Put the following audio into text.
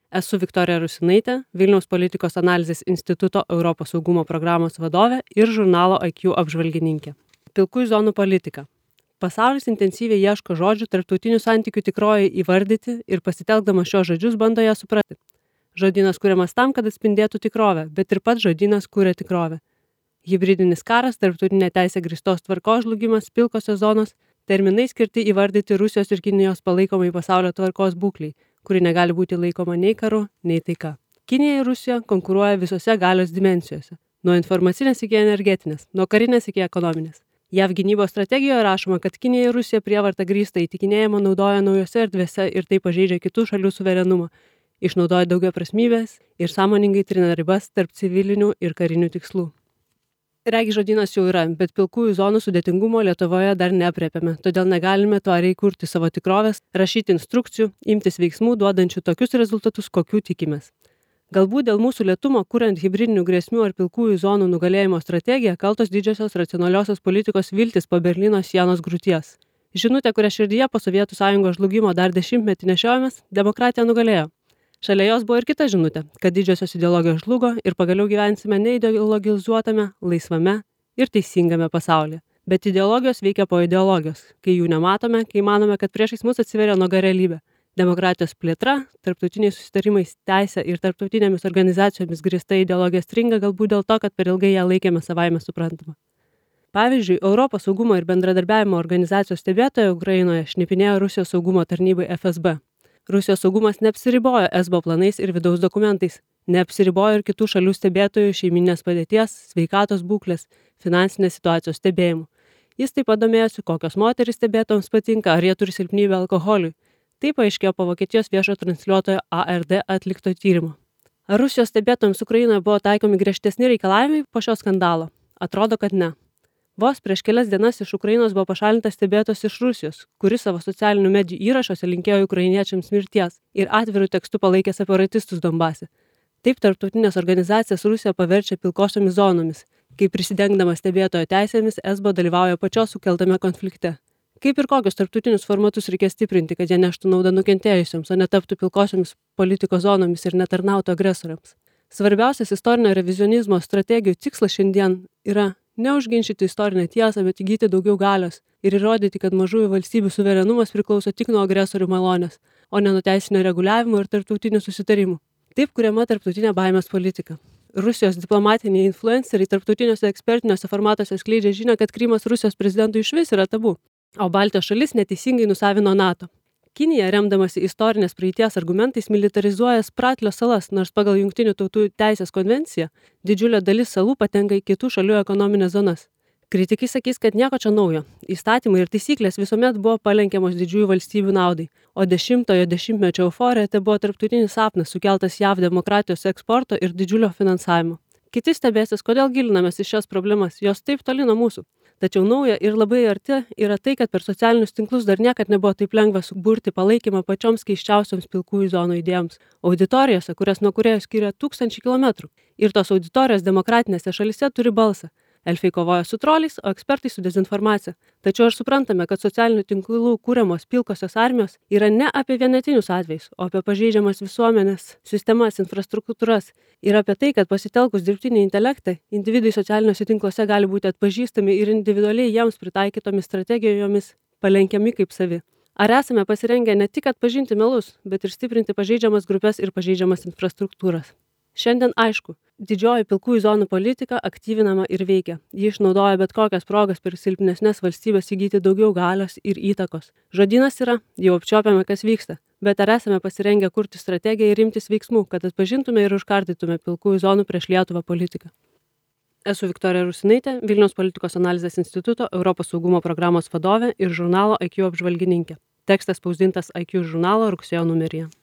Esu Viktorija Rusinaitė, Vilniaus politikos analizės instituto Europos saugumo programos vadovė ir žurnalo IQ apžvalgininkė. Pilkųjų zonų politika. Pasaulis intensyviai ieško žodžių tarptautinių santykių tikroji įvardyti ir pasitelkdamas šios žodžius bando ją suprasti. Žodynas kuriamas tam, kad atspindėtų tikrovę, bet ir pats žodynas kuria tikrovę. Hibridinis karas, tarptautinė teisė grįstos tvarkos žlugimas, pilkosios zonos, terminai skirti įvardyti Rusijos ir Kinijos palaikomai pasaulio tvarkos būkliai, kuri negali būti laikoma nei karu, nei taika. Kinija ir Rusija konkuruoja visose galios dimensijose, nuo informacinės iki energetinės, nuo karinės iki ekonominės. JAV gynybos strategijoje rašoma, kad Kinija ir Rusija prievartą grįstą įtikinėjimą naudoja naujose erdvėse ir tai pažeidžia kitų šalių suverenumą, išnaudoja daugiaprasmybės ir sąmoningai trina ribas tarp civilinių ir karinių tikslų. Regi žodynas jau yra, bet pilkųjų zonų sudėtingumo Lietuvoje dar neaprėpėme, todėl negalime tvariai kurti savo tikrovės, rašyti instrukcijų, imtis veiksmų, duodančių tokius rezultatus, kokių tikimės. Galbūt dėl mūsų lėtumo, kuriant hibridinių grėsmių ar pilkųjų zonų nugalėjimo strategiją, kaltos didžiosios racionaliosios politikos viltis po Berlyno sienos griūties. Žinutė, kurią širdyje po Sovietų Sąjungos žlugimo dar 10-metį nešiojomės, demokratija nugalėjo. Šalia jos buvo ir kita žinutė, kad didžiosios ideologijos žlugo ir pagaliau gyvensime neideologizuotame, laisvame ir teisingame pasaulyje. Bet ideologijos veikia po ideologijos, kai jų nematome, kai manome, kad priešais mus atsiveria nuoga realybė. Demokratijos plėtra, tarptautiniais susitarimais, teisė ir tarptautinėmis organizacijomis grįsta ideologija stringa galbūt dėl to, kad per ilgai ją laikėme savaime suprantama. Pavyzdžiui, Europos saugumo ir bendradarbiavimo organizacijos stebėtoja Ukrainoje šnipinėjo Rusijos saugumo tarnybai FSB. Rusijos saugumas neapsiribojo ESBO planais ir vidaus dokumentais, neapsiribojo ir kitų šalių stebėtojų šeiminės padėties, sveikatos būklės, finansinės situacijos stebėjimų. Jis taip pat domėjosi, kokios moterys stebėtojams patinka, ar jie turi silpnybę alkoholiui. Tai paaiškėjo po Vokietijos viešo transliuotojo ARD atlikto tyrimo. Ar Rusijos stebėtojams Ukrainoje buvo taikomi griežtesni reikalavimai po šio skandalo? Atrodo, kad ne. Vos prieš kelias dienas iš Ukrainos buvo pašalintas stebėtojas iš Rusijos, kuris savo socialinių medijų įrašuose linkėjo ukrainiečiams mirties ir atvirų tekstų palaikė separatistus Donbase. Taip tarptautinės organizacijas Rusija paverčia pilkosiomis zonomis, kai prisidengdamas stebėtojo teisėmis ESBO dalyvauja pačios sukeltame konflikte. Kaip ir kokius tarptautinius formatus reikia stiprinti, kad jie neštų naudą nukentėjusiems, o netaptų pilkosiomis politikos zonomis ir netarnautų agresoriams. Svarbiausias istorinio revizionizmo strategijų tikslas šiandien yra neužginčyti istorinę tiesą, bet įgyti daugiau galios ir įrodyti, kad mažųjų valstybių suverenumas priklauso tik nuo agresorių malonės, o ne nuo teisinio reguliavimo ir tarptautinių susitarimų. Taip kuriama tarptautinė baimės politika. Rusijos diplomatiniai influenceriai tarptautiniuose ekspertiniuose formatuose skleidžia žinią, kad Krymas Rusijos prezidentui išvis yra tabu, o Baltijos šalis neteisingai nusavino NATO. Kinija, remdamasi istorinės praeities argumentais, militarizuoja Spratlio salas, nors pagal Jungtinių tautų teisės konvenciją didžiulė dalis salų patenka į kitų šalių ekonominės zonas. Kritikai sakys, kad nieko čia naujo. Įstatymai ir taisyklės visuomet buvo palenkiamos didžiųjų valstybių naudai, o 10-ojo dešimtmečio euforija tai buvo tarptautinis sapnas sukeltas JAV demokratijos eksporto ir didžiulio finansavimo. Kiti stebėsis, kodėl gilinamės į šias problemas, jos taip toli nuo mūsų. Tačiau nauja ir labai arti yra tai, kad per socialinius tinklus dar niekad nebuvo taip lengva suburti palaikymą pačioms keiščiausioms pilkųjų zonų idėjoms. Auditorijose, kurias nuo kūrėjų skiria 1000 kilometrų. Ir tos auditorijos demokratinėse šalyse turi balsą. Elfai kovoja su troliais, o ekspertai su dezinformacija. Tačiau ir suprantame, kad socialinių tinklų kūriamos pilkosios armijos yra ne apie vienetinius atvejus, o apie pažeidžiamas visuomenės sistemas, infrastruktūras ir apie tai, kad pasitelkus dirbtinį intelektą, individai socialiniuose tinkluose gali būti atpažįstami ir individualiai jiems pritaikytomis strategijomis palenkiami kaip savi. Ar esame pasirengę ne tik atpažinti melus, bet ir stiprinti pažeidžiamas grupės ir pažeidžiamas infrastruktūras? Šiandien aišku, didžioji pilkųjų zonų politika aktyvinama ir veikia. Ji išnaudoja bet kokias progas per silpnesnes valstybės įgyti daugiau galios ir įtakos. Žodynas yra, jau apčiuopiame, kas vyksta, bet ar esame pasirengę kurti strategiją ir imtis veiksmų, kad atpažintume ir užkardytume pilkųjų zonų prieš Lietuvą politiką? Esu Viktorija Rusinaitė, Vilniaus politikos analizės instituto Europos saugumo programos vadovė ir žurnalo IQ apžvalgininkė. Tekstas spausdintas IQ žurnalo rugsėjo numeryje.